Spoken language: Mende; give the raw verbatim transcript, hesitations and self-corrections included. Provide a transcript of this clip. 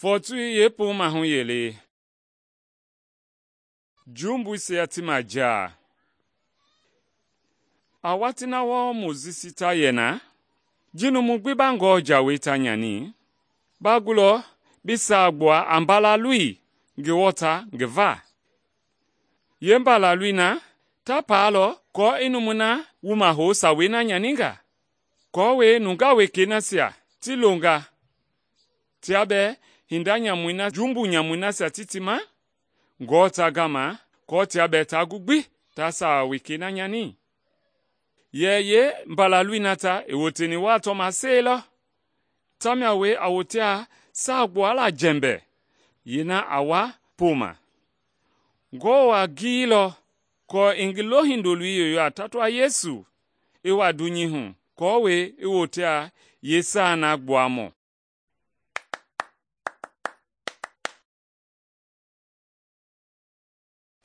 Fɔɔtoi yeepoomahu yelei. Jumbuisia ti majaa. A watii na wɔɔ Mojisi ta yɛ na, ji numu gbi ba Ngewɔ jawei ta nyani, ba gulɔ bi saagbuɛi a Mbalaloi ngi wɔta ngi va. Yeembalaloi na ta paalɔ aako i numui na wuma hou sawei na nyaninga, aako nungaa wekei nasia ti longa tia bɛɛ hinda nyamui na jumbu nyamui nasia ti ti ma Ngewɔ ta gama aako tia bɛɛ ta gu gbi ta sawa wekei na nyani. Yɛ yeembalaloi na ta i woteni waa tɔmasei lɔ, tamia wee a wote a saagbuala jɛmbɛ yeena a wa poma. Ngewɔ a giliilɔ aako i ngi lohindoloi yoyo a tatua Yesu i wa dunyei hu aako i wote a yeesaa na gbuamɔ.